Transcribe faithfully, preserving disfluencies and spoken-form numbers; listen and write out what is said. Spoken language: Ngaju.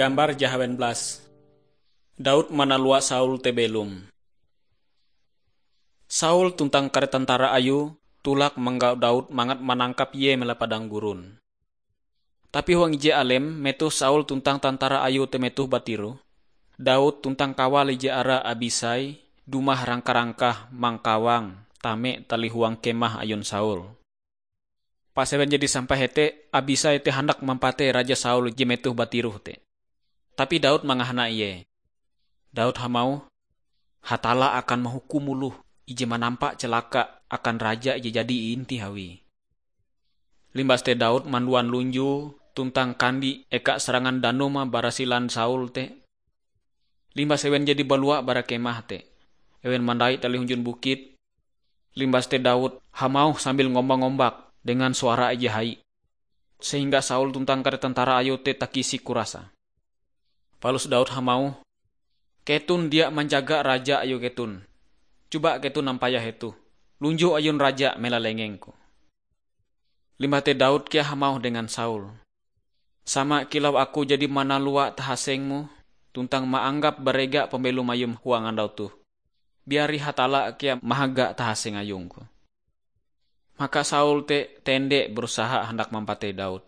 Gambar jahawen belas. Daud manalua Saul te belom. Saul tuntang kare tentara ayue tulak manggau Daud mangat manangkap ie melahe padang gurun. Tapi huang ije alem, metoh Saul tuntang tentara ayue te metoh batiroh, Daud tuntang kawale ije ara Abisai dumah rangka-rangkah mangkawang tame tali huang kemah ayun Saul. Pas ewen jadi sampai hete, Abisai te handak mampatei Raja Saul je metoh batiroh te. Tapi Daud mangahana ie. Daud hamauh, "Hatalla akan mahukum oloh ije manampa calaka akan raja ije jadi iintih awie." Limbas te Daud manduan lunjue tuntang kandi eka sarangan danum bara silan Saul te. Limbas ewen jadi balua bara kemah te, ewen mandai tali hunjun bukit. Limbas te Daud hamauh sambil ngombak-ngombak dengan suara ije hai, sehingga Saul tuntang kare tentara ayue te takisik kurasa. Palus Daud hamauh, "Keton dia manjaga raja ayue keton. Coba keton nampayah hetoh. Lunjue ayun raja mela lengengku." Limbah te Daud kea hamauh dengan Saul, "Sama kilau aku jadi manalua tahasengmu tuntang maanggap barega pambelom ayum huang andau toh, biari Hatalla kea mahaga tahaseng ayungku." Maka Saul te tende berusaha handak mampatei Daud.